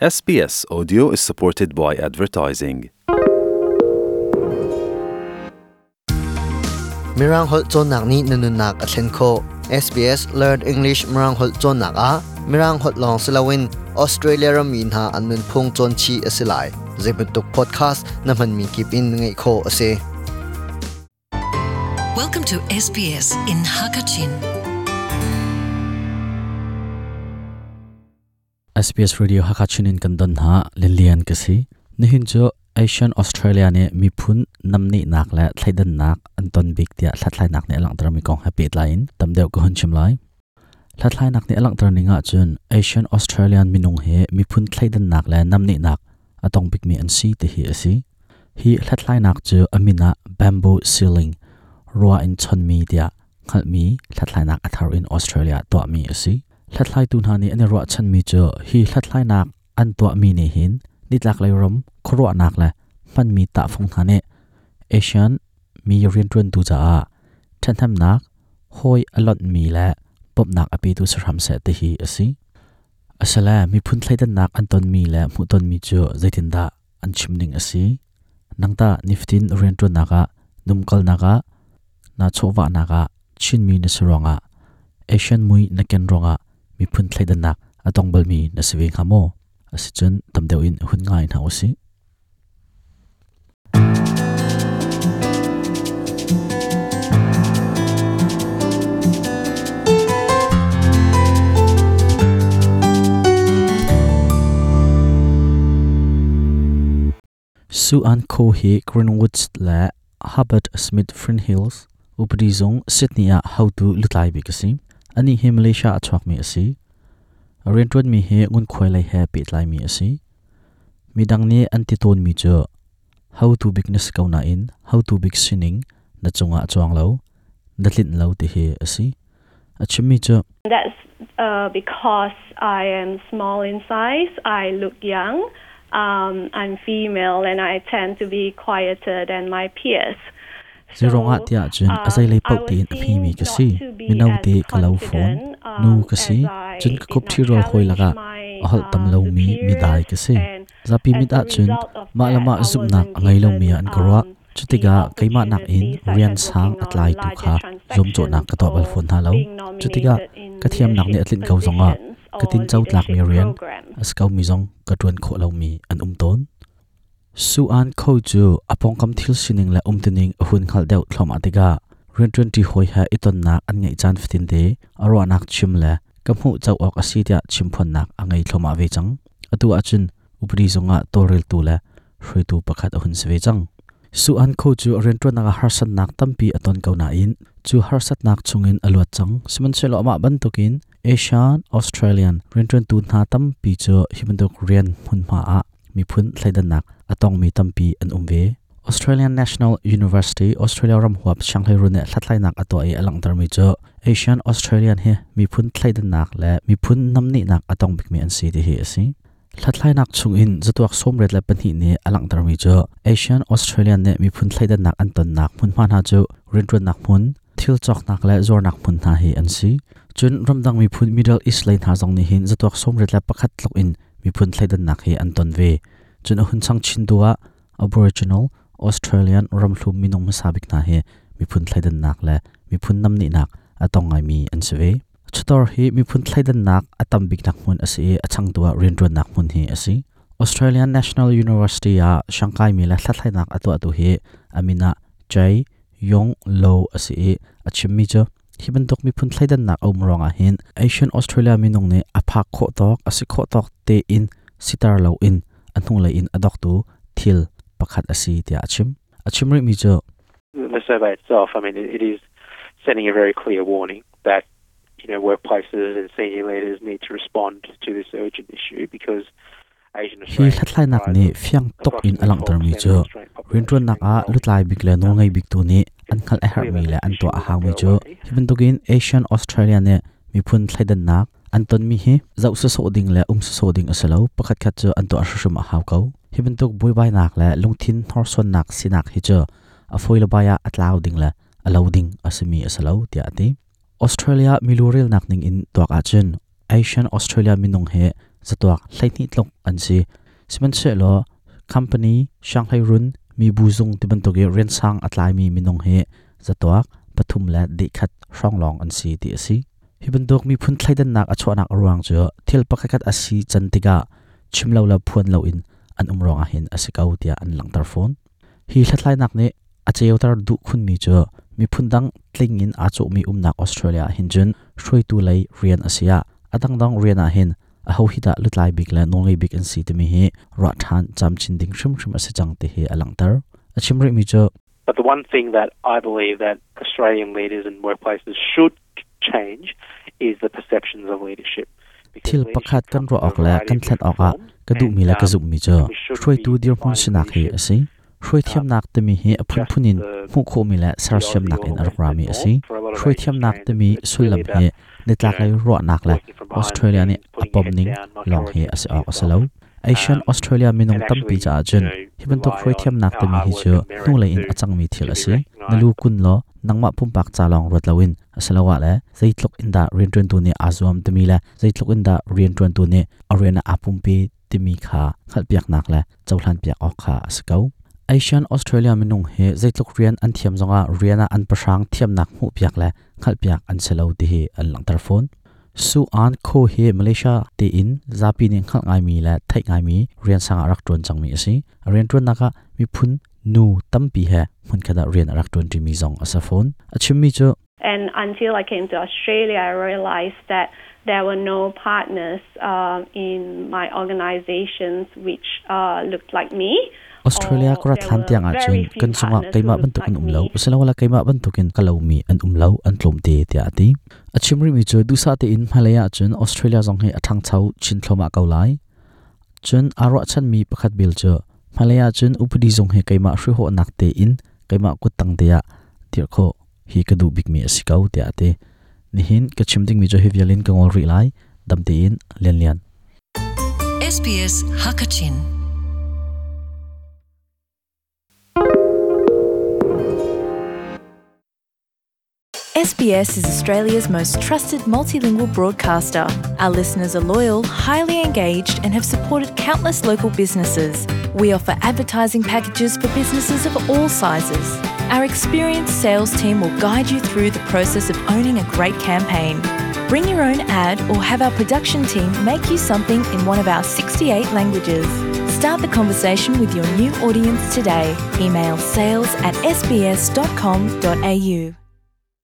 SBS Audio is supported by advertising. Mirang holh cawnnak nih na nunnak a thlen khawh. SBS Learn English Mirang holh cawnnak ah Mirang holh lawng si loin Australia rammi hna an nunphung cawn chih a si lai. Zeibantuk podcast na hmanmi kip in ngaih khawh a si. Welcome to SBS in Hakachin. SBS Radio Hakachin in kan don ha Lilian ka si. Nihin cu Asian Australia nih miphun namni nak le thleidan nak an ton bik tiah hlathlai nak nih a langhter mi kong he pehtlai in tam deuh ka hun chim lai. Hlathlai nak nih a langhter ning ah cun Asian Australian minung he miphun thleidan nak le namni nak a tong bik mi an si ti hi a si. Hi hlathlainak cu a min ah Bamboo Ceiling, rua in chonmi tiah hngalhmi hlathlainak a thar in Australia tuahmi a si. Hlathlaitu hna nih an i ruahchanmi cu hi hlathlainak an tuahmi nih hin nitlaklei ram khuaruahnak le hmanmi tahfung hna nih Asian mi rianṭuantu caah ṭhathnemnak, hawi a lonhmi le bawmhnak a petu si hram seh tihi a si. Asile miphun thleidannak an tonmi le hmuhtonmi cu zeitindah an chim ning a si? Nangtah nifatin rianṭuannak ah, numkalnak ah, naa chawhvahnak ah Chinmi na si ruangah, Asian mui na ken ruangah miphun thleidannak a tong balmi na si ve hnga maw? Asicun tam deuh in hun ngai hna usih. Su An Kho hi Greenwich le Hubbard Smith Frinhills upadi zung Sydney ah hotu lutlai bik a si. Anih hi Malaysia a chuakmi a si. A rianṭuanmi hi ngunkhuai lei he pehtlaimi a si. Midang nih an ti tawnmi cu hotu bik na si ko nain hotu bik sining na cungah a cuang lo, na tlinh lo ti hi a si. A chimmi cu That's because I am small in size, I look young, I'm female and I tend to be quieter than my peers. Zeiruangah tiah cun a zeilei paoh tiin a hmimi ka si. Mino te ka lo fawn. Nu ka si. Cun ka khup ṭhirual hawi lakah a holh tam lomi midai ka si. Zapi mit ahcun mah le mah zumhnak a ngei lomi ah an ka ruah. Cutikah keimah nakin rian sang a tlaitu kha zuamcawhnak ka tuah bal fawn hna lo. Cutikah ka thiamnak nih a tlinh ko zongah ka tinco tlakmi rian a si komi zong ka ṭuan khawh lomi an um tawn. Su-an Kho cu a pawngkam thil sining le umtuning a hun hngalh deuh thluahmah tikah rianṭuanṭi hawi he i tonnak an ngeih caan fatinte a ruahnak chim le ka hmuh co awk a si tiah chimphuannak a ngei thluahmah ve cang. Atu ahcun upadi zungah tawlreltu le hruaitu pakhat a hun si ve cang. Su-an Kho cu rianṭuannak ah harsatnak tampi a ton ko nain cu harsatnak chungin a luat cang. Sihmanhsehlaw amah bantukin Asian Australian rianṭuantu hna tampi cu hi bantuk rian hmunhma ah miphun thleidannak a tongmi tampi an um ve. Australian National University Australia ram huap sianghleiruun nih hlathlainak a tuah i a langhtermi cu Asian Australian hi miphun thleidannak le miphun namnehnak a tong bikmi an si ti hi a si. Hlathlainak chungin zatuak 32 nih a langhtermi cu Asian Australian nih miphun thleidannak an tonnak hmunhma hna cu rianṭuannak hmun, thil cawknak le zuarnak hmun hna hi an si. Cun ramdang miphun Middle East lei hna zong nih hin zatuak 81 tluk in miphun thleidannak hi an ton ve. Cun a hun chang chin tu ah Aboriginal Australian ramhlum minung hmasa bik hna hi miphun thleidannak le miphun namnehnak a tong ngaimi an si ve. Chawtor hi miphun thleidannak a tam biknak hmun a si i a changtu ah rianṭuannak hmun hi a si. Australian National University ah siangkaimi le hlathlainak a tuahtu hi a min ah Jay Yong Lo a si i a chimmi cu hi bantuk miphun thleidannak a um ruangah hin Asian Australia minung nih a phak khawh tawk a si khawh tawk tein siter loin a hnulei in a doktu thil pakhat a si tiah a chim. A chim rihmi cu The survey itself, I mean, it is sending a very clear warning that you know workplaces and senior leaders need to respond to this urgent issue because Hi hlathlainak nih fiang tuk in a langhtermi cu rianṭuannak ah lutlai bik le nawlngei biktu nih an hngalh a herhmi le an tuah a haumi cu hi bantukin Asian Australia nih miphun thleidannak an tonmi hi zoh sawsawh ding le um sawsawh ding a si lo, pakhatkhat cu an tuah hrimhrim a hau ko. Hi bantuk buaibainak le lungthin hnorsuannak sinak hi cu a fawi le bai ah a tlau ding le a lo ding a simi a si lo tiah a ti. Australia milu relnak ning in tuak ahcun Asian Australia minung hi zatuak 12 tluk an si. Sihmanhsehlaw company sianghleirun mibu zung ti bantuk i riansang a tlaimi minung hi zatuak 3.1 hrawng lawng an si ti a si. Hi bantuk miphun thleidannak a chuahnak a ruang cu thil pakhatkhat a si can tikah chim lo le phuan loin an um ruangah hin a si ko tiah an langhter fawn. Hi hlathlainak nih a ceuter duh khunmi cu miphun dang tling in aa cawhmi umnak Australia ah hin cun hruaitu lei rian a si ah a dangdang rian ah hin aho hi dah lutlai bik le nawlngei bik an si timi hi ruah ṭhan camchin ding hrimhrim a si cang ti hi a langhter. A chim rihmi cu But the one thing that I believe that Australian leaders and workplaces should change is the perceptions of leadership. Thil pakhat kan ruah awk le kan thlen awkah ka duhmi le ka zumhmi cu hruaitu dirhmun sinak hi a si. Hruaithiamnak timi hi a phunphun in hmuh khawhmi le sersiamnak in a rak rami a si. Hruaithiamnak timi sullam hi nitlaklei ruahnak le Australia nih a pomning lawng hi a si awk a si lo. Asian Australia minung tampi caah cun hi bantuk hruaithiamnak timi hi cu hnulei in a cangmi thil a si. Na lu kun law nangmah pumpak ca lawng ruat loin asiloah le zeitluk in dah rianṭuantu nih aa zuam timi le zeitluk in dah rianṭuantu nih a rian ah aa pumpi timi kha hngalhpiaknak le cohlanpiak awk kha a si ko. Asian Australia minung hi zeitluk rian an thiam zongah rian ah an pahrang thiamnak hmuhpiak le hngalhpiak an si lo ti hi an langhter fawn. Su An Kho hi Malaysia tein zapi nih hngalh ngaimi le theih ngaimi rian sang ah rak ṭuan cangmi a si. A rianṭuannak ah miphun nu tampi he hmunkhat ah rian a rak ṭuanṭimi zong a si fawn. A chimmi cu And until I came to Australia, I realized that there were no partners in my organizations which looked like me. Australia ka rat hlan tiang ahcun kan cungah keimah bantukin um lo asiloah keimah bantukin ka lomi an um lo an tlawmte tiah a ti. A chim rihmi cu duhsah tein hmailei ahcun Australia zong hi a ṭhangcho chin thluahmah ko lai. Cun aa ruahchanmi pakhat bel cu hmailei ahcun upadi zung hi keimah hrihhawhnak tein keimah kuttang te ah dirh khawh hi ka duh bikmi a si ko tiah a ti. Nihin ka chim dingmi cu hi vial in ka ngol rih lai. Dam tein Lian Lian. SBS Hakachin. SBS is Australia's most trusted multilingual broadcaster. Our listeners are loyal, highly engaged, and have supported countless local businesses. We offer advertising packages for businesses of all sizes. Our experienced sales team will guide you through the process of owning a great campaign. Bring your own ad or have our production team make you something in one of our 68 languages. Start the conversation with your new audience today. Email sales at sbs.com.au.